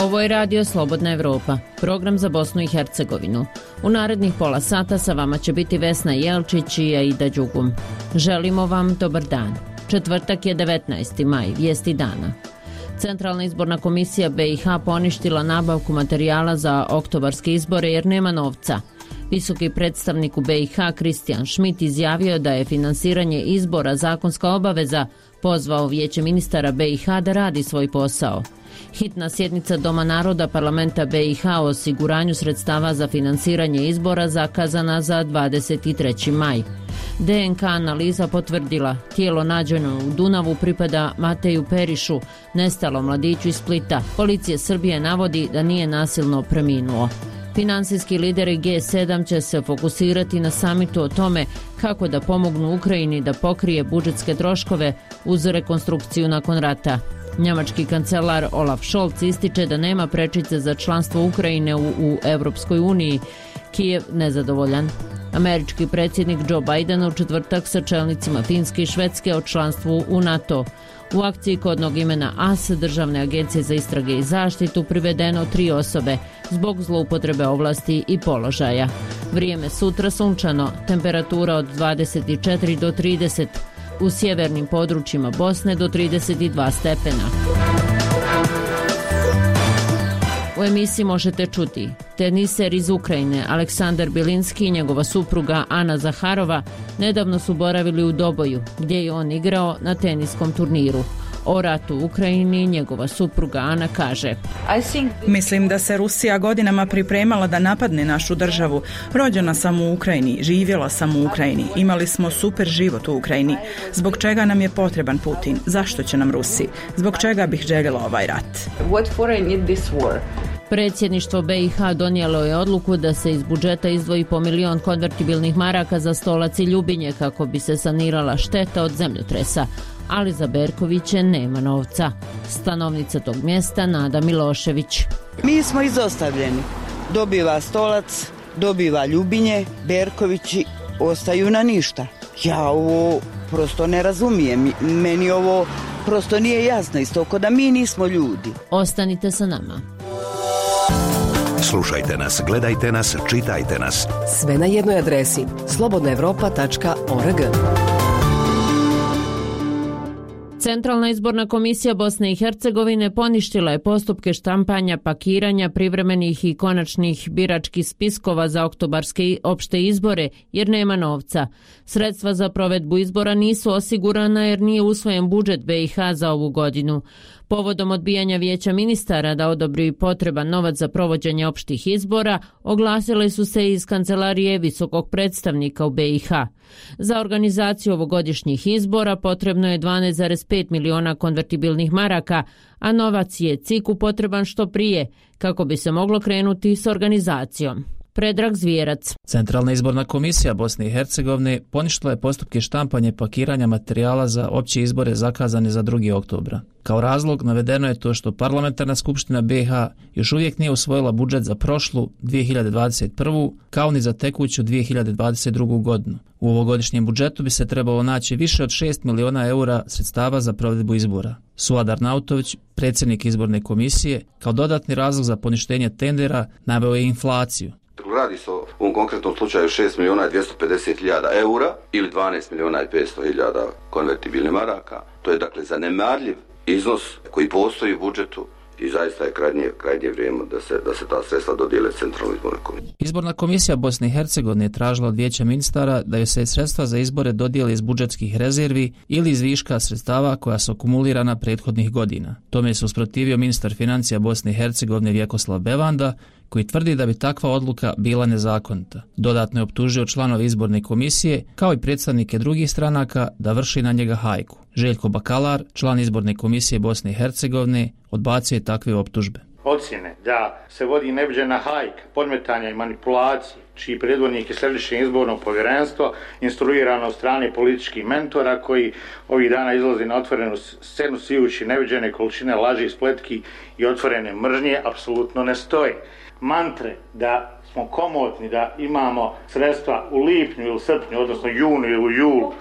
Ovo je Radio Slobodna Evropa, program za Bosnu i Hercegovinu. U narednih pola sata sa vama će biti Vesna Jelčić i Aida Đugum. Želimo vam dobar dan. Četvrtak je 19. maj, vijesti dana. Centralna izborna komisija BiH poništila nabavku materijala za oktobarske izbore jer nema novca. Visoki predstavnik u BiH Kristijan Šmit izjavio da je finansiranje izbora zakonska obaveza, pozvao Vijeće ministara BiH da radi svoj posao. Hitna sjednica Doma naroda parlamenta BiH o osiguranju sredstava za finansiranje izbora zakazana za 23. maj. DNK analiza potvrdila, tijelo nađeno u Dunavu pripada Mateju Perišu, nestalom mladiću iz Splita. Policija Srbije navodi da nije nasilno preminuo. Finansijski lideri G7 će se fokusirati na samitu o tome kako da pomognu Ukrajini da pokrije budžetske troškove uz rekonstrukciju nakon rata. Njemački kancelar Olaf Scholz ističe da nema prečice za članstvo Ukrajine u Europskoj uniji. Kijev nezadovoljan. Američki predsjednik Joe Biden u četvrtak sa čelnicima Finske i Švedske o članstvu u NATO. U akciji kodnog imena AS, Državne agencije za istrage i zaštitu, privedeno 3 osobe zbog zloupotrebe ovlasti i položaja. Vrijeme sutra sunčano, temperatura od 24 do 30, u sjevernim područjima Bosne do 32 stepena. U emisiji možete čuti teniser iz Ukrajine Aleksandar Bilinski i njegova supruga Ana Zaharova nedavno su boravili u Doboju, gdje je on igrao na teniskom turniru. O ratu u Ukrajini njegova supruga Ana kaže: Mislim da se Rusija godinama pripremala da napadne našu državu. Rođena sam u Ukrajini, živjela sam u Ukrajini, imali smo super život u Ukrajini. Zbog čega nam je potreban Putin? Zašto će nam Rusi? Zbog čega bih željela ovaj rat? Predsjedništvo BiH donijelo je odluku da se iz budžeta izdvoji po 1 milion konvertibilnih maraka za Stolac i Ljubinje kako bi se sanirala šteta od zemljotresa. Ali za Berkoviće nema novca. Stanovnica tog mjesta Nada Milošević. Mi smo izostavljeni. Dobiva Stolac, dobiva Ljubinje, Berkovići ostaju na ništa. Ja ovo prosto ne razumijem. Meni ovo prosto nije jasno, isto kao da mi nismo ljudi. Ostanite sa nama. Slušajte nas, gledajte nas, čitajte nas. Sve na jednoj adresi slobodnaevropa.org. Centralna izborna komisija Bosne i Hercegovine poništila je postupke štampanja, pakiranja privremenih i konačnih biračkih spiskova za oktobarske opšte izbore jer nema novca. Sredstva za provedbu izbora nisu osigurana jer nije usvojen budžet BiH za ovu godinu. Povodom odbijanja Vijeća ministara da odobri potreban novac za provođenje opštih izbora, oglasile su se iz kancelarije visokog predstavnika u BiH. Za organizaciju ovogodišnjih izbora potrebno je 12,5 miliona konvertibilnih maraka, a novac je CIK-u potreban što prije, kako bi se moglo krenuti s organizacijom. Predrag Zvijerac. Centralna izborna komisija Bosne i Hercegovine poništila je postupke štampanja i pakiranja materijala za opće izbore zakazane za 2. oktobra. Kao razlog navedeno je to što Parlamentarna skupština BiH još uvijek nije usvojila budžet za prošlu 2021. kao ni za tekuću 2022. godinu. U ovogodišnjem budžetu bi se trebalo naći više od 6 miliona eura sredstava za provedbu izbora. Suad Arnautović, predsjednik izborne komisije, kao dodatni razlog za poništenje tendera naveo je inflaciju. Radi se u ovom konkretnom slučaju 6 miliona i 250 hiljada eura ili 12 miliona i 500 hiljada konvertibilnih maraka. To je dakle zanemarljiv iznos koji postoji u budžetu i zaista je krajnje vrijeme da se ta sredstva dodijele Centralnoj izbornoj komisiji. Izborna komisija Bosne i Hercegovine je tražila od Vijeća ministara da joj se sredstva za izbore dodijele iz budžetskih rezervi ili iz viška sredstava koja su akumulirana prethodnih godina. Tome se usprotivio ministar financija Bosne i Hercegovine Vjekoslav Bevanda, koji tvrdi da bi takva odluka bila nezakonita. Dodatno je optužio članove izborne komisije, kao i predstavnike drugih stranaka, da vrši na njega hajku. Željko Bakalar, član izborne komisije Bosne i Hercegovine, odbacio je takve optužbe. Ocjene da se vodi neviđena hajka, podmetanja i manipulacije, čiji predvodnik je Središnje izborno povjerenstvo, instruirano od strane političkih mentora koji ovih dana izlazi na otvorenu scenu sijući neviđene količine laži, spletki i otvorene mržnje, apsolutno ne stoji. Mantre da smo komotni, da imamo sredstva u lipnju ili srpnju, odnosno junu ili u julu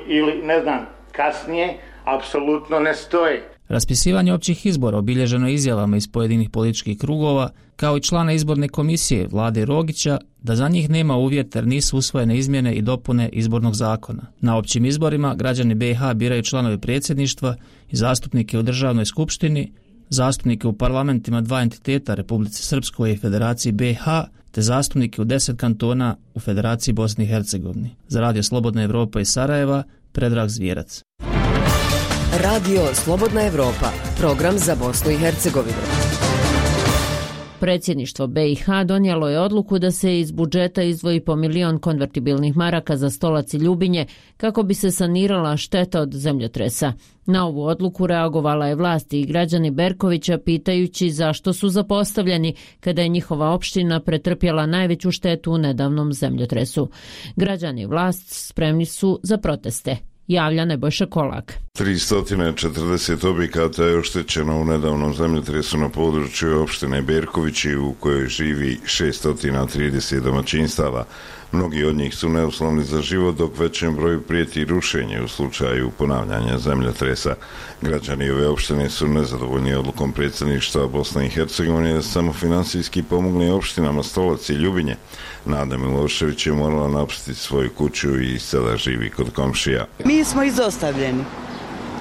ili ne znam kasnije, apsolutno ne stoje. Raspisivanje općih izbora obilježeno izjavama iz pojedinih političkih krugova, kao i člana izborne komisije Vlade Rogića, da za njih nema uvjeta jer nisu usvojene izmjene i dopune izbornog zakona. Na općim izborima građani BiH biraju članove predsjedništva i zastupnike u državnoj skupštini, zastupnike u parlamentima dva entiteta Republici Srpskoj i Federaciji BiH, te zastupnike u 10 kantona u Federaciji Bosne i Hercegovine. Za Radio Slobodna Evropa iz Sarajeva, Predrag Zvijerac. Radio Slobodna Evropa, program za Bosnu i Hercegovinu. Predsjedništvo BiH donijelo je odluku da se iz budžeta izdvoji po 1 milion konvertibilnih maraka za Stolac i Ljubinje kako bi se sanirala šteta od zemljotresa. Na ovu odluku reagovala je vlast i građani Berkovića pitajući zašto su zapostavljeni kada je njihova opština pretrpjela najveću štetu u nedavnom zemljotresu. Građani i vlast spremni su za proteste. Javlja Nebojša Kolak. 340 objekata je oštećeno u nedavnom zemljotresu na području opštine Berkovići u kojoj živi 630 domaćinstava. Mnogi od njih su neuslovni za život, dok većem broju prijeti rušenje u slučaju ponavljanja zemljotresa. Građani ove opštine su nezadovoljni odlukom predsjedništva Bosne i Hercegovine da samo finansijski pomogne opštinama Stolac i Ljubinje. Nada Milošević je morala napustiti svoju kuću i sada živi kod komšija. Mi smo izostavljeni.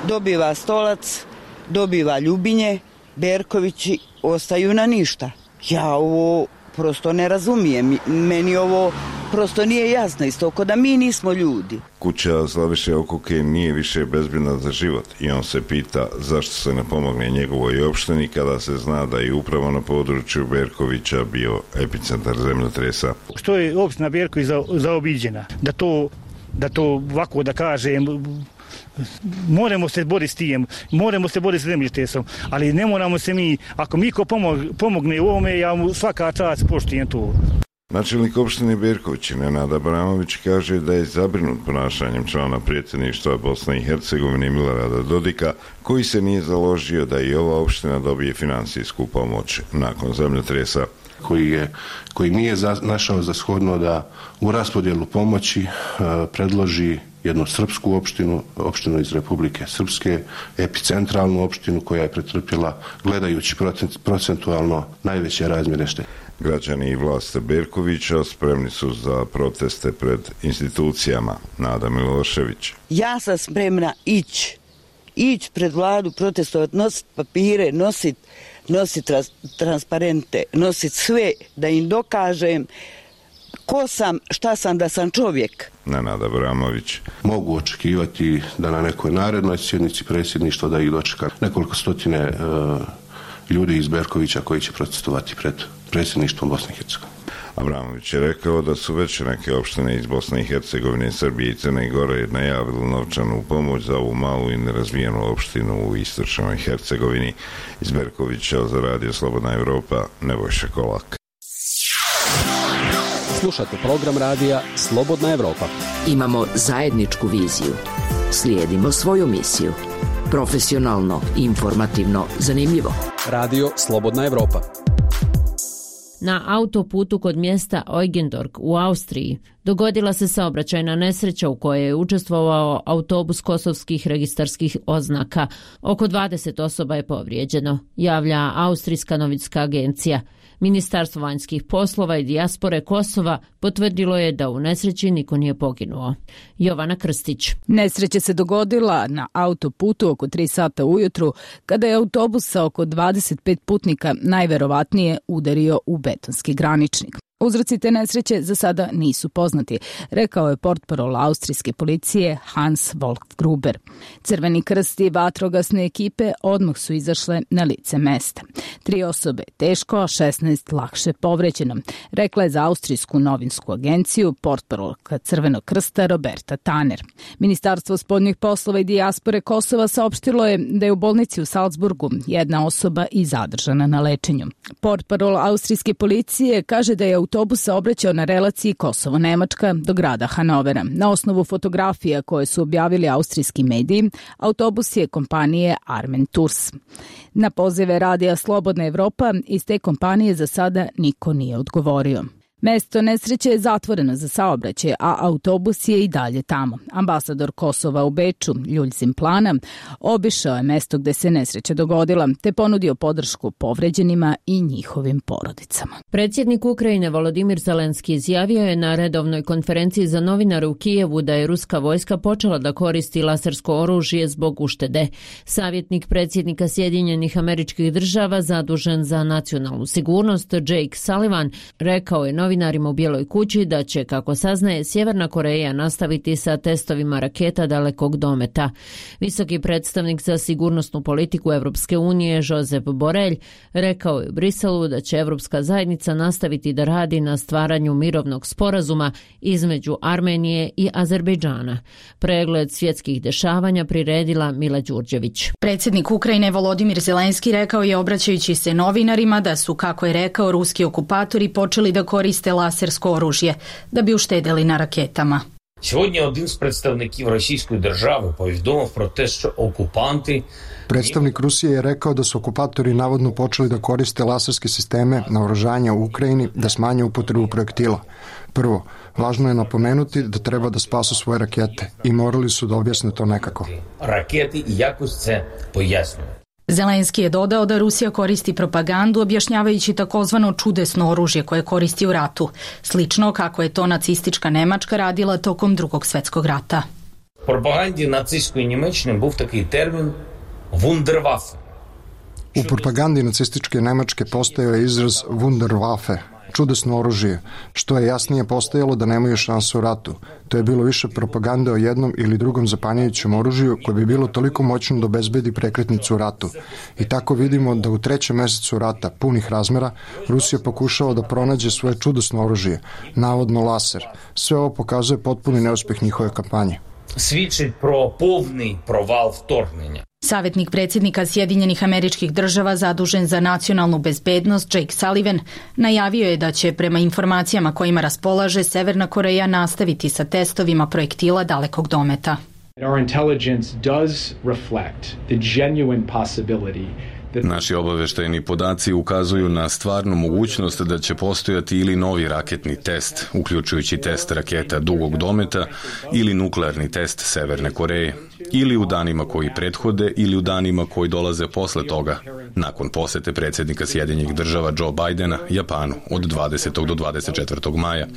Dobiva Stolac, dobiva Ljubinje, Berkovići ostaju na ništa. Ja ovo prosto ne razumijem. Meni ovo prosto nije jasno isto, ko da mi nismo ljudi. Kuća Slaviše Okuke nije više bezbjedna za život i on se pita zašto se ne pomogne njegovoj opštini kada se zna da je upravo na području Berkovića bio epicentar zemljotresa. Što je opština Berković zaobiđena? Da to ovako da kažem, moramo se boriti s tim, moramo se boriti s zemljotresom, ali ne moramo se mi, ako mi ko pomogne u ovome, ja mu svaka čast poštujem to. Načelnik opštine Berković Nenad Abramović kaže da je zabrinut ponašanjem člana predsjedništva Bosne i Hercegovine Milorada Dodika, koji se nije založio da i ova opština dobije finansijsku pomoć nakon zemljotresa. Koji nije našao za shodno da u raspodjelu pomoći predloži jednu srpsku opštinu iz Republike Srpske, epicentralnu opštinu koja je pretrpjela, gledajući procentualno, najveće razmjere štete. Građani i vlast Berkovića spremni su za proteste pred institucijama. Nada Milošević. Ja sam spremna ići pred vladu, protestovati, nositi papire, nositi transparente, nositi sve da im dokažem ko sam, šta sam, da sam čovjek. Nenad Abramović. Mogu očekivati da na nekoj narednoj sjednici predsjedništva da ih dočeka nekoliko stotine ljudi iz Berkovića koji će protestovati pred predsjedništvom Bosne i Hercegovine. Abramović je rekao da su već neke opštine iz Bosne i Hercegovine, Srbije i Crne Gore najavili novčanu pomoć za ovu malu i nerazvijenu opštinu u istočnoj Hercegovini. Iz Berkovića za Radio Slobodna Evropa, Nebojša Kolak. Slušate program radija Slobodna Evropa. Imamo zajedničku viziju. Slijedimo svoju misiju. Profesionalno, informativno, zanimljivo. Radio Slobodna Evropa. Na autoputu kod mjesta Eugendorf u Austriji dogodila se saobraćajna nesreća u kojoj je učestvovao autobus kosovskih registarskih oznaka. Oko 20 osoba je povrijeđeno, javlja Austrijska novinska agencija. Ministarstvo vanjskih poslova i dijaspore Kosova potvrdilo je da u nesreći niko nije poginuo. Jovana Krstić. Nesreća se dogodila na autoputu oko 3 sata ujutru kada je autobus sa oko 25 putnika najverovatnije udario u betonski graničnik. Uzroci te nesreće za sada nisu poznati, rekao je portparol austrijske policije Hans Wolf-Gruber. Crveni krst i vatrogasne ekipe odmah su izašle na lice mesta. 3 osobe teško, a 16 lakše povređeno, rekla je za austrijsku novinsku agenciju portparolka Crvenog krsta Roberta Tanner. Ministarstvo spoljnih poslova i dijaspore Kosova saopštilo je da je u bolnici u Salzburgu jedna osoba i zadržana na lečenju. Portparol austrijske policije kaže da je autobus saobraćao na relaciji Kosovo-Nemačka do grada Hanovera. Na osnovu fotografija koje su objavili austrijski mediji, autobus je kompanije Armen Tours. Na pozive radija Slobodna Evropa iz te kompanije za sada niko nije odgovorio. Mesto nesreće je zatvoreno za saobraćaj, a autobus je i dalje tamo. Ambasador Kosova u Beču, Ljuljzim Plana, obišao je mesto gde se nesreća dogodila, te ponudio podršku povređenima i njihovim porodicama. Predsjednik Ukrajine Volodimir Zelenski izjavio je na redovnoj konferenciji za novinare u Kijevu da je ruska vojska počela da koristi lasersko oružje zbog uštede. Savjetnik predsjednika Sjedinjenih Američkih Država zadužen za nacionalnu sigurnost Jake Sullivan rekao je novinarima u Bijeloj kući da će, kako saznaje, Sjeverna Koreja nastaviti sa testovima raketa dalekog dometa. Visoki predstavnik za sigurnosnu politiku Evropske unije Josep Borrell rekao je u Briselu da će Evropska zajednica nastaviti da radi na stvaranju mirovnog sporazuma između Armenije i Azerbejdžana. Pregled svjetskih dešavanja priredila Mila Đurđević. Predsjednik Ukrajine Volodimir Zelenski rekao je, obraćajući se novinarima, da su, kako je rekao, ruski okupatori počeli da koriste lasersko oružje da bi uštedeli na raketama. Сьогодні один з представників Російської держави повідомив про те, що окупанти... Predstavnik Rusije je rekao da su okupatori navodno počeli da koriste laserske sisteme naoružanja u Ukrajini da smanje upotrebu projektila. Prvo, važno je napomenuti da treba da spasu svoje rakete i morali su da objasne to nekako. Raketi i jakost se pojasnjuju. Zelenski je dodao da Rusija koristi propagandu objašnjavajući takozvano čudesno oružje koje koristi u ratu, slično kako je to nacistička Nemačka radila tokom Drugog svjetskog rata. В пропаганді нацистської Німеччини був такий термін «вундерваффе». U propagandi nacističke Nemačke postojao je izraz Wunderwaffe, čudesno oružje, što je jasnije postojalo da nemaju šansu u ratu. To je bilo više propagande o jednom ili drugom zapanjujućem oružju koje bi bilo toliko moćno da obezbedi prekretnicu u ratu. I tako vidimo da u 3. mjesecu rata, punih razmera, Rusija pokušava da pronađe svoje čudesno oružje, navodno laser. Sve ovo pokazuje potpuni neuspjeh njihove kampanje. Свідчить про повний провал вторгнення. Savjetnik predsjednika Sjedinjenih Američkih Država zadužen za nacionalnu bezbednost Jake Sullivan najavio je da će, prema informacijama kojima raspolaže, Severna Koreja nastaviti sa testovima projektila dalekog dometa. Our intelligence does reflect the genuine possibility. Naši obavještajni podaci ukazuju na stvarnu mogućnost da će postojati ili novi raketni test, uključujući test raketa dugog dometa ili nuklearni test Severne Koreje, ili u danima koji prethode ili u danima koji dolaze posle toga, nakon posete predsjednika Sjedinjenih Država Joe Bidena Japanu od 20. do 24. maja.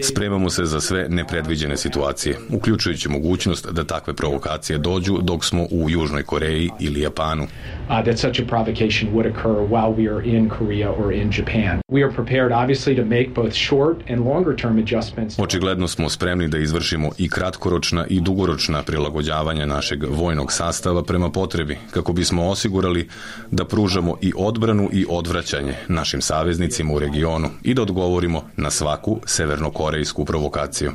Spremamo se za sve nepredviđene situacije, uključujući mogućnost da takve provokacije dođu dok smo u Južnoj Koreji ili Japanu. That such a provocation would occur while we are in Korea or in Japan. We are prepared obviously to make both short and longer term adjustments. Očigledno smo spremni da izvršimo i kratkoročna i dugoročna prilagođavanja našeg vojnog sastava prema potrebi, kako bismo osigurali da pružamo i odbranu i odvraćanje našim saveznicima u regionu i da odgovorimo na svaku severnokorejsku provokaciju.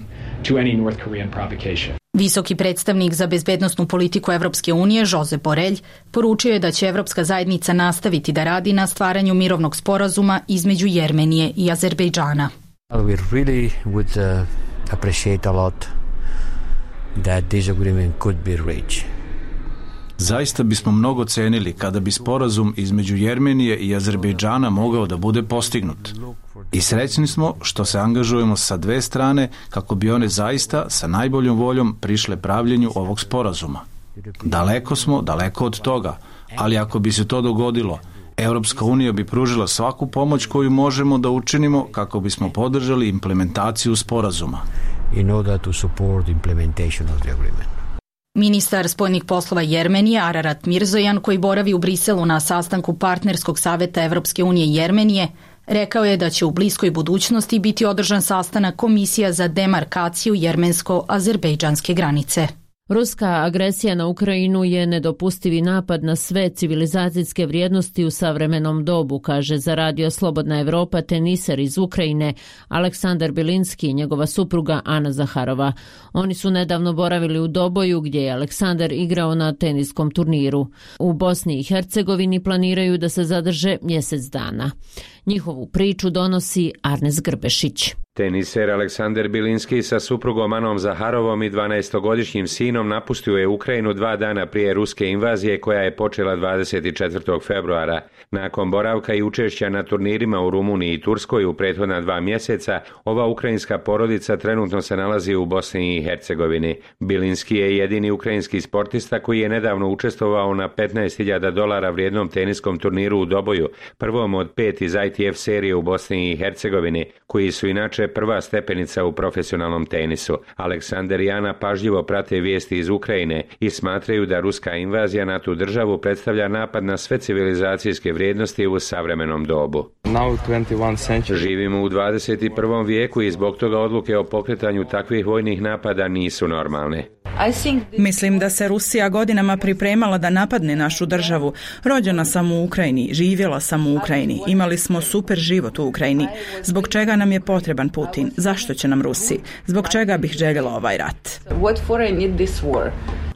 To any North Korean provocation. Visoki predstavnik za bezbednosnu politiku Evropske unije, Josep Borrell, poručio je da će Evropska zajednica nastaviti da radi na stvaranju mirovnog sporazuma između Jermenije i Azerbejdžana. We really would appreciate a lot that this agreement could be reached. Zaista bismo mnogo cenili kada bi sporazum između Jermenije i Azerbejdžana mogao da bude postignut. I srećni smo što se angažujemo sa dve strane kako bi one zaista sa najboljom voljom prišle pravljenju ovog sporazuma. Daleko smo, daleko od toga, ali ako bi se to dogodilo, Europska unija bi pružila svaku pomoć koju možemo da učinimo kako bismo podržali implementaciju sporazuma. In order to support implementation of the agreement. Ministar spoljnih poslova Jermenije Ararat Mirzojan, koji boravi u Briselu na sastanku partnerskog saveta Evropske unije i Jermenije, rekao je da će u bliskoj budućnosti biti održan sastanak komisija za demarkaciju jermensko-azerbejdžanske granice. Ruska agresija na Ukrajinu je nedopustivi napad na sve civilizacijske vrijednosti u savremenom dobu, kaže za radio Slobodna Evropa teniser iz Ukrajine Aleksandar Bilinski i njegova supruga Ana Zaharova. Oni su nedavno boravili u Doboju gdje je Aleksandar igrao na teniskom turniru. U Bosni i Hercegovini planiraju da se zadrže mjesec dana. Njihovu priču donosi Arnes Grbešić. Teniser Aleksander Bilinski sa suprugom Anom Zaharovom i 12-godišnjim sinom napustio je Ukrajinu 2 dana prije ruske invazije koja je počela 24. februara. Nakon boravka i učešća na turnirima u Rumuniji i Turskoj u prethodna 2 mjeseca, ova ukrajinska porodica trenutno se nalazi u Bosni i Hercegovini. Bilinski je jedini ukrajinski sportista koji je nedavno učestvovao na $15.000 vrijednom teniskom turniru u Doboju, prvom od 5 iz ITF serije u Bosni i Hercegovini, koji su inače prva stepenica u profesionalnom tenisu. Aleksander i Ana pažljivo prate vijesti iz Ukrajine i smatraju da ruska invazija na tu državu predstavlja napad na sve civilizacijske vrijednosti u savremenom dobu. Živimo u 21. vijeku i zbog toga odluke o pokretanju takvih vojnih napada nisu normalne. Mislim da se Rusija godinama pripremala da napadne našu državu. Rođena sam u Ukrajini, živjela sam u Ukrajini, imali smo super život u Ukrajini. Zbog čega nam je potreban Putin? Zašto će nam Rusi? Zbog čega bih željela ovaj rat?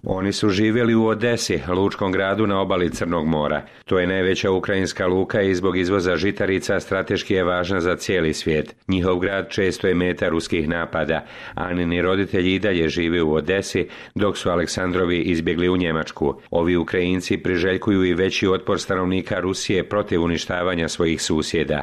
Oni su živjeli u Odesi, lučkom gradu na obali Crnog mora. To je najveća ukrajinska luka i zbog izvoza žitarica strateški je važna za cijeli svijet. Njihov grad često je meta ruskih napada. Anini roditelji i dalje žive u Odesi, dok su Aleksandrovi izbjegli u Njemačku. Ovi Ukrajinci priželjkuju i veći otpor stanovnika Rusije protiv uništavanja svojih susjeda.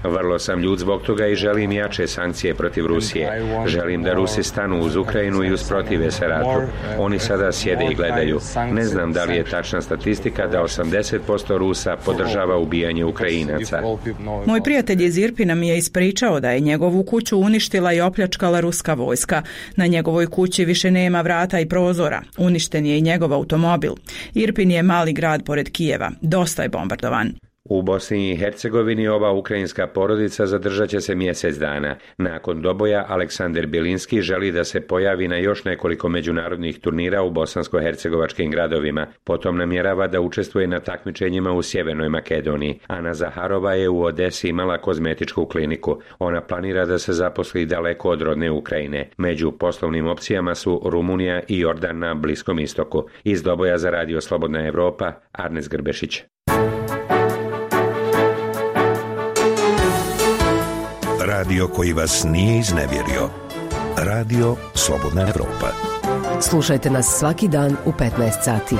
Vrlo sam ljud zbog toga i želim jače sankcije protiv Rusije. Želim da Rusi stanu uz Ukrajinu i usprotive se ratu. Oni sada sjede i gledaju. Ne znam da li je tačna statistika da 80% Rusa podržava ubijanje Ukrajinaca. Moj prijatelj iz Irpina mi je ispričao da je njegovu kuću uništila i opljačkala ruska vojska. Na njegovoj kući više nema vrata i prozora. Uništen je i njegov automobil. Irpin je mali grad pored Kijeva. Dosta je bombardovan. U Bosni i Hercegovini ova ukrajinska porodica zadržat će se mjesec dana. Nakon Doboja, Aleksander Bilinski želi da se pojavi na još nekoliko međunarodnih turnira u bosansko-hercegovačkim gradovima. Potom namjerava da učestvuje na takmičenjima u Sjevernoj Makedoniji. Ana Zaharova je u Odesi imala kozmetičku kliniku. Ona planira da se zaposli daleko od rodne Ukrajine. Među poslovnim opcijama su Rumunija i Jordan na Bliskom istoku. Iz Doboja za Radio Slobodna Evropa, Arnes Grbešić. Radio koji vas nije iznevjerio. Radio Slobodna Evropa. Slušajte nas svaki dan u 15 sati.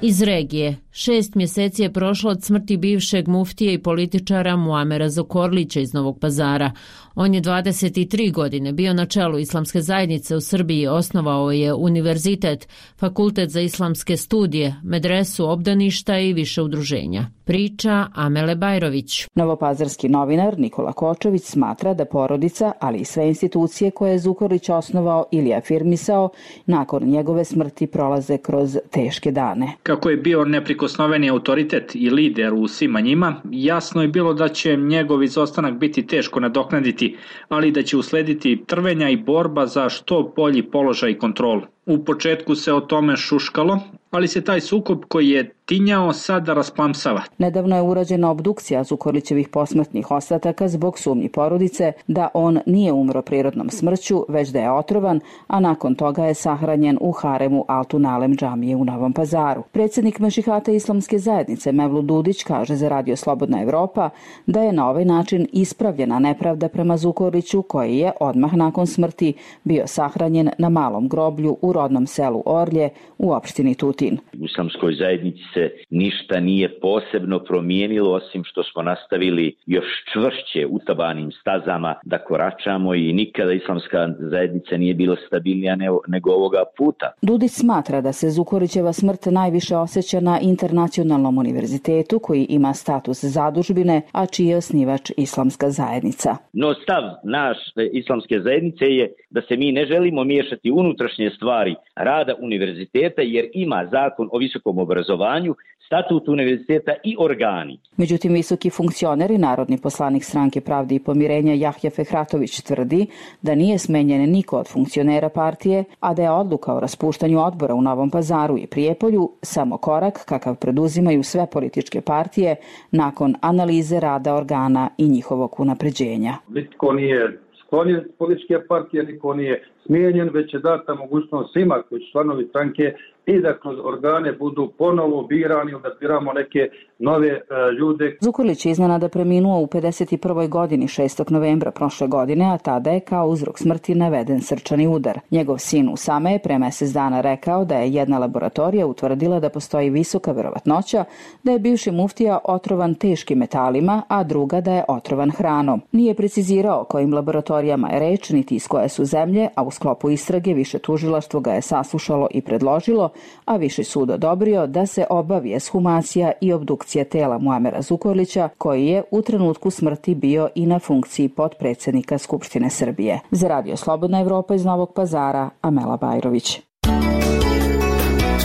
Iz regije. 6 mjeseci je prošlo od smrti bivšeg muftije i političara Muamera Zukorlića iz Novog Pazara. On je 23 godine bio na čelu islamske zajednice u Srbiji, osnovao je univerzitet, fakultet za islamske studije, medresu obdaništa i više udruženja. Priča Amele Bajrović. Novopazarski novinar Nikola Kočović smatra da porodica, ali i sve institucije koje je Zukorlić osnovao ili afirmisao, nakon njegove smrti prolaze kroz teške dane. Kako je bio neprikosnoveni autoritet i lider u svima njima, jasno je bilo da će njegov izostanak biti teško nadoknaditi, ali da će uslediti trvenja i borba za što bolji položaj i kontrolu. U početku se o tome šuškalo, ali se taj sukob koji je tinjao sada rasplamsava. Nedavno je urađena obdukcija Zukorlićevih posmrtnih ostataka zbog sumnji porodice da on nije umro prirodnom smrću, već da je otrovan, a nakon toga je sahranjen u haremu Altun-Alem džamije u Novom Pazaru. Predsjednik Mešihata islamske zajednice Mevlut Dudić kaže za Radio Slobodna Evropa da je na ovaj način ispravljena nepravda prema Zukorliću, koji je odmah nakon smrti bio sahranjen na malom groblju u rodnom selu Orlje u opštini Tutin. U islamskoj zajednici se ništa nije posebno promijenilo, osim što smo nastavili još čvršće utabanim stazama da koračamo i nikada islamska zajednica nije bila stabilnija nego ovoga puta. Dudić smatra da se Zukorlićeva smrt najviše osjeća na Internacionalnom univerzitetu koji ima status zadužbine, a čiji je osnivač islamska zajednica. No stav naš islamske zajednice je da se mi ne želimo miješati unutrašnje stvari rada univerziteta jer ima zakon o visokom obrazovanju, statut univerziteta i organi. Međutim, visoki funkcioner i narodni poslanik Stranke pravde i pomirenja Jahja Fehratović tvrdi da nije smenjen niko od funkcionera partije, a da je odluka o raspuštanju odbora u Novom Pazaru i Prijepolju samo korak kakav preduzimaju sve političke partije nakon analize rada organa i njihovog unapređenja. Nitko nije sklonjen političke partije, niko nije smijenjen, već je data mogućnost svima koji su članovi stranke i da kroz organe budu ponovo birani, da biramo neke nove ljude. Zukorlić je iznenada preminuo u 51. godini 6. novembra prošle godine, a tada je kao uzrok smrti naveden srčani udar. Njegov sin Usame je pre mesec dana rekao da je jedna laboratorija utvrdila da postoji visoka verovatnoća da je bivši muftija otrovan teškim metalima, a druga da je otrovan hranom. Nije precizirao kojim laboratorijama je reč, niti iz koje su zemlje, a u sklopu istrage više tužilaštvo ga je saslušalo i predložilo, a Viši sud odobrio da se obavi ekshumacija i obdukcija tela Muamera Zukorlića, koji je u trenutku smrti bio i na funkciji potpredsednika Skupštine Srbije. Za Radio Slobodna Evropa iz Novog Pazara, Amela Bajrović.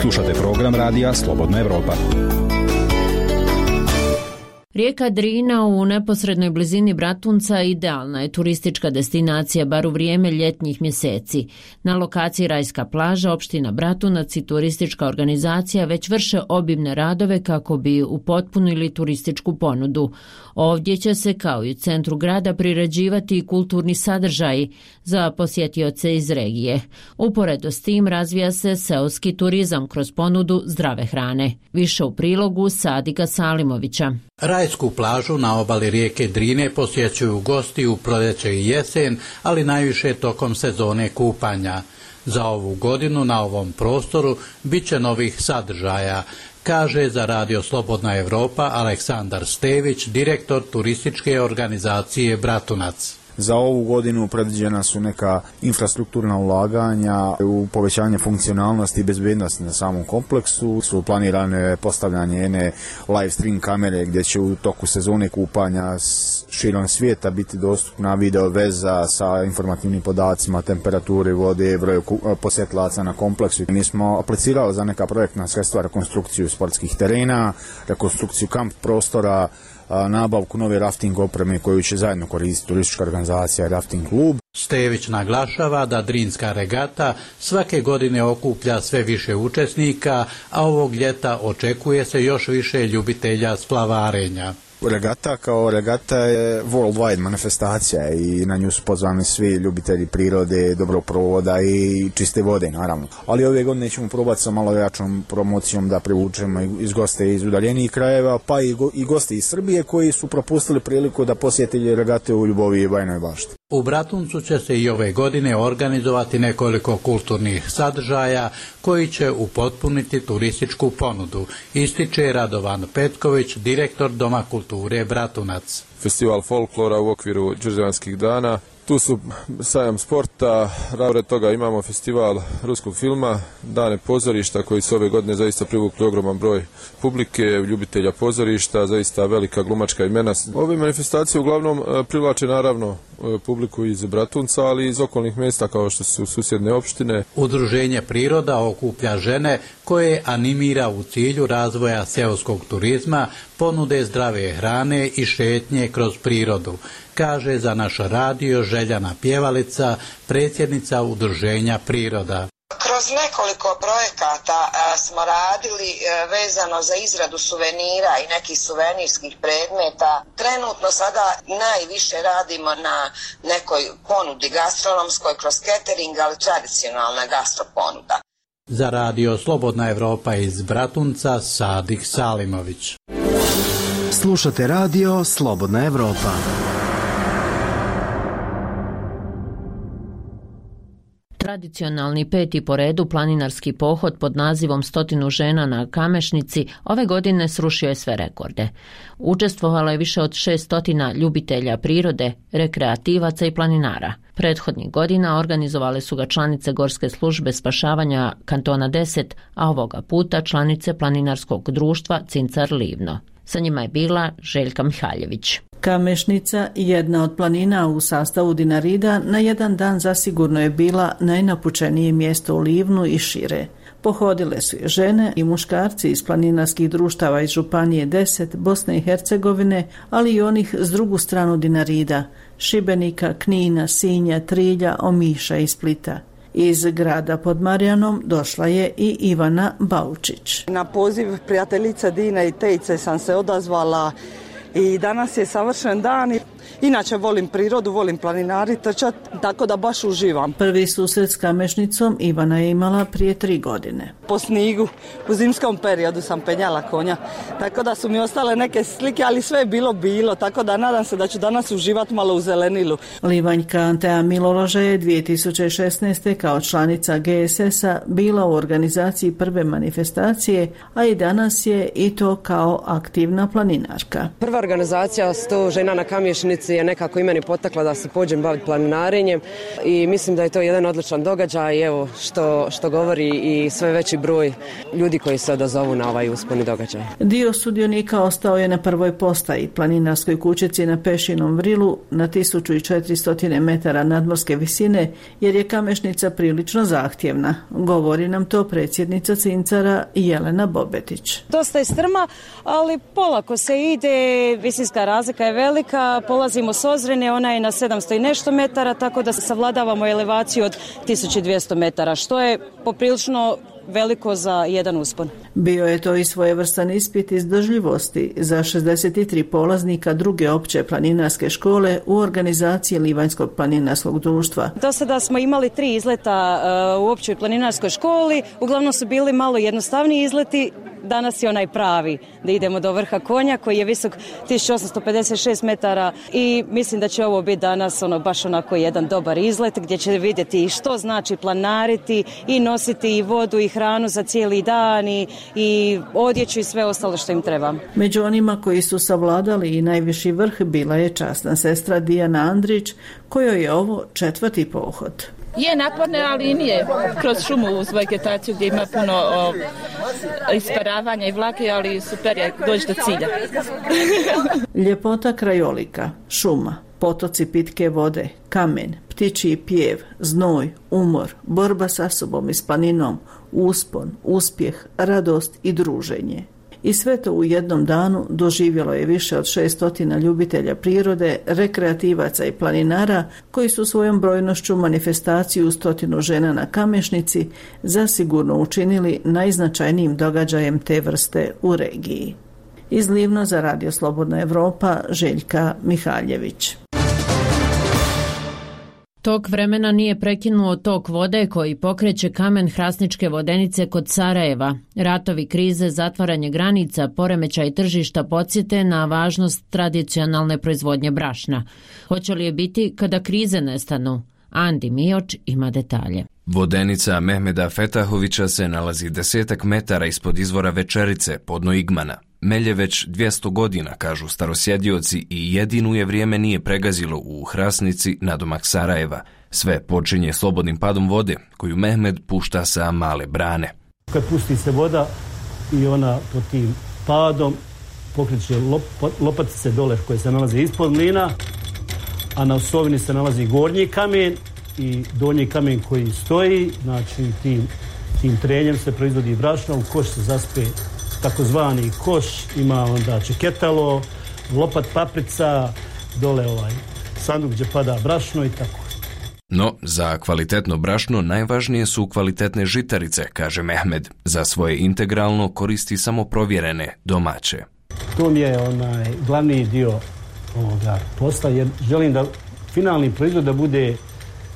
Slušate program Radija Slobodna Evropa. Rijeka Drina u neposrednoj blizini Bratunca idealna je turistička destinacija bar u vrijeme ljetnjih mjeseci. Na lokaciji Rajska plaža, opština Bratunac i turistička organizacija već vrše obimne radove kako bi upotpunili turističku ponudu. Ovdje će se, kao i u centru grada, priređivati i kulturni sadržaji za posjetioce iz regije. Uporedo s tim razvija se seoski turizam kroz ponudu zdrave hrane. Više u prilogu Sadika Salimovića. Rajsku plažu na obali rijeke Drine posjećuju gosti u proljeće i jesen, ali najviše tokom sezone kupanja. Za ovu godinu na ovom prostoru bit će novih sadržaja, kaže za Radio Slobodna Evropa Aleksandar Stević, direktor turističke organizacije Bratunac. Za ovu godinu predviđena su neka infrastrukturna ulaganja u povećanje funkcionalnosti i bezbednosti na samom kompleksu. Su planirane postavljanje jedne live stream kamere gdje će u toku sezone kupanja širom svijeta biti dostupna video veza sa informativnim podacima, temperature vode, broju posjetilaca na kompleksu. Mi smo aplicirali za neka projektna sredstva, rekonstrukciju sportskih terena, rekonstrukciju kamp prostora, nabavku nove rafting opreme koju će zajedno koristiti turistička organizacija Rafting klub. Stević naglašava da Drinska regata svake godine okuplja sve više učesnika, a ovog ljeta očekuje se još više ljubitelja splavarenja. Regata kao regata je worldwide manifestacija i na nju su pozvani svi ljubitelji prirode, dobrog provoda i čiste vode, naravno. Ali ove godine ćemo probati sa malo jačom promocijom da privučemo iz goste iz udaljenijih krajeva, pa i goste iz Srbije koji su propustili priliku da posjeti regate u Ljubovi i Bajnoj Bašti. U Bratuncu će se i ove godine organizovati nekoliko kulturnih sadržaja koji će upotpuniti turističku ponudu, ističe Radovan Petković, direktor Doma kulture Bratunac. Festival folklora u okviru Đurđevanskih dana. Tu su sajam sporta, pored toga imamo festival ruskog filma, dane pozorišta koji su ove godine zaista privukli ogroman broj publike, ljubitelja pozorišta, zaista velika glumačka imena. Ove manifestacije uglavnom privlače naravno publiku iz Bratunca, ali i iz okolnih mjesta kao što su susjedne opštine. Udruženje Priroda okuplja žene koje animira u cilju razvoja seoskog turizma, ponude zdrave hrane i šetnje kroz prirodu, kaže za naš radio Željana Pjevalica, predsjednica Udruženja Priroda. Kroz nekoliko projekata smo radili vezano za izradu suvenira i nekih suvenirskih predmeta. Trenutno sada najviše radimo na nekoj ponudi gastronomskoj kroz catering, ali tradicionalna gastroponuda. Za radio Slobodna Evropa iz Bratunca, Sadik Salimović. Slušate radio Slobodna Evropa. Tradicionalni 5. po redu planinarski pohod pod nazivom 100 žena na Kamešnici ove godine srušio je sve rekorde. Učestvovalo je više od 600 ljubitelja prirode, rekreativaca i planinara. Prethodnih godina organizovale su ga članice Gorske službe spašavanja kantona 10, a ovoga puta članice planinarskog društva Cincar Livno. Sa njima je bila Željka Mihaljević. Kamešnica, jedna od planina u sastavu Dinarida, na jedan dan zasigurno je bila najnapučenije mjesto u Livnu i šire. Pohodile su je žene i muškarci iz planinarskih društava iz Županije 10, Bosne i Hercegovine, ali i onih s drugu stranu Dinarida, Šibenika, Knina, Sinja, Trilja, Omiša i Splita. Iz grada pod Marijanom došla je i Ivana Baučić. Na poziv prijateljica Dina i Tejce sam se odazvala i danas je savršen dan. Inače volim prirodu, volim planinari, trčat, tako da baš uživam. Prvi susret s Kamešnicom Ivana je imala prije 3 godine. Po snigu, u zimskom periodu sam penjala konja, tako da su mi ostale neke slike, ali sve je bilo, tako da nadam se da ću danas uživati malo u zelenilu. Livanjka Antea Miloloža je 2016. kao članica GSS-a bila u organizaciji prve manifestacije, a i danas je i to kao aktivna planinarka. Prva organizacija 100 žena na Kamješnici je nekako i meni potakla da se pođem baviti planinarenjem i mislim da je to jedan odličan događaj i evo što govori i sve veći broj ljudi koji se odazovu na ovaj usponi događaj. Dio sudionika ostao je na prvoj postaji, planinarskoj kućici na Pešinom vrilu na 1400 metara nadmorske visine, jer je Kamešnica prilično zahtjevna. Govori nam to predsjednica Cincara Jelena Bobetić. Dosta je strma, ali polako se ide, visinska razlika je velika, polazimo s Ozrene, ona je na 700 i nešto metara, tako da savladavamo elevaciju od 1200 metara, što je poprilično veliko za jedan uspon. Bio je to i svojevrstan ispit izdržljivosti za 63 polaznika druge opće planinarske škole u organizaciji Livanjskog planinarskog društva. Do sada smo imali 3 izleta u općoj planinarskoj školi, uglavnom su bili malo jednostavniji izleti, danas je onaj pravi, da idemo do vrha konja koji je visok 1856 metara i mislim da će ovo biti danas baš onako jedan dobar izlet gdje će vidjeti što znači planariti i nositi i vodu i hranu za cijeli dan i odjeću i sve ostalo što im treba. Među onima koji su savladali i najviši vrh bila je časna sestra Dijana Andrić, kojoj je ovo 4. pohod. Je naporne, ali nije kroz šumu uz vegetaciju gdje ima puno isparavanja i vlage, ali super je doći do cilja. Ljepota krajolika, šuma, potoci pitke vode, kamen, ptičji pjev, znoj, umor, borba sa sobom i s planinom, uspon, uspjeh, radost i druženje. I sve to u jednom danu doživjelo je više od 600 ljubitelja prirode, rekreativaca i planinara koji su svojom brojnošću manifestaciju 100 žena na Kamešnici zasigurno učinili najznačajnijim događajem te vrste u regiji. Iz Livno za Radio Slobodna Evropa, Željka Mihaljević. Tok vremena nije prekinuo tok vode koji pokreće kamen Hrasničke vodenice kod Sarajeva. Ratovi, krize, zatvaranje granica, poremećaj tržišta podsjete na važnost tradicionalne proizvodnje brašna. Hoće li je biti kada krize nestanu? Andi Mioč ima detalje. Vodenica Mehmeda Fetahovića se nalazi 10 metara ispod izvora Večerice, podno Igmana. Melje već 200 godina, kažu starosjedioci, i jedinu je vrijeme nije pregazilo u Hrasnici nadomak Sarajeva. Sve počinje slobodnim padom vode, koju Mehmed pušta sa male brane. Kad pusti se voda i ona pod tim padom pokreće lopatice dole koje se nalaze ispod mlina, a na osovini se nalazi gornji kamen i donji kamen koji stoji, znači tim trenjem se proizvodi brašno, u koš se zaspe takozvani koš, ima onda čeketalo, lopat paprica, dole sanduk gdje pada brašno i tako. No, za kvalitetno brašno najvažnije su kvalitetne žitarice, kaže Mehmed. Za svoje integralno koristi samo provjerene, domaće. To mi je glavni dio ovoga posla, jer želim da finalni proizvod da bude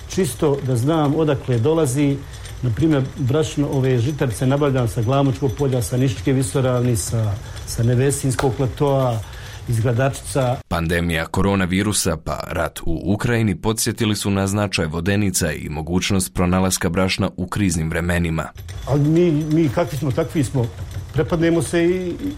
čisto, da znam odakle dolazi. Na primjer, brašno, ove žitarice nabavljam sa Glamočkog polja, sa Niščke visoravni, sa Nevesinskog platoa, iz Gradačica. Pandemija koronavirusa pa rat u Ukrajini podsjetili su na značaj vodenica i mogućnost pronalaska brašna u kriznim vremenima. Ali mi kakvi smo, takvi smo. Prepadnemo se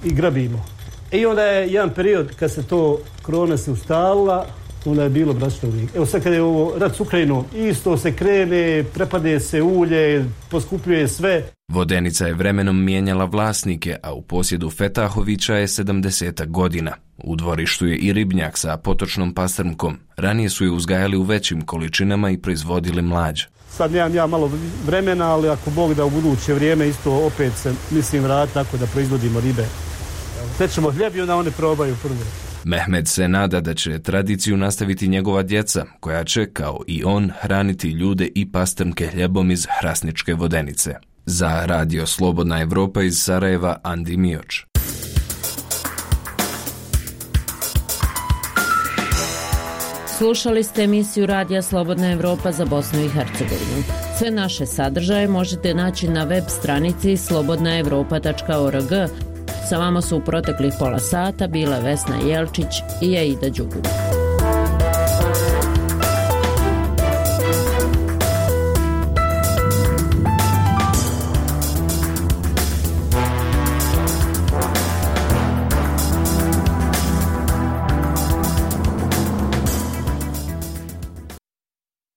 i grabimo. I onda je jedan period kad se to korona se ustalila, onda je bilo brašno uvijek. Evo sad kad je ovo rat s Ukrajinom, isto se krene, prepade se ulje, poskupljuje sve. Vodenica je vremenom mijenjala vlasnike, a u posjedu Fetahovića je 70 godina. U dvorištu je i ribnjak sa potočnom pastrmkom. Ranije su je uzgajali u većim količinama i proizvodili mlađ. Sad nemam ja malo vremena, ali ako Bog da u buduće vrijeme isto opet se mislim vratiti tako da proizvodimo ribe. Pečemo hljeb i onda one probaju prvo. Mehmed se nada da će tradiciju nastaviti njegova djeca, koja će, kao i on, hraniti ljude i pastrmke hljebom iz Hrasničke vodenice. Za Radio Slobodna Evropa iz Sarajeva, Andi Mioč. Slušali ste emisiju Radija Slobodna Evropa za Bosnu i Hercegovinu. Sve naše sadržaje možete naći na web stranici slobodnaevropa.org. Sa vama su u proteklih pola sata bile Vesna Jelčić i Aida Đugum.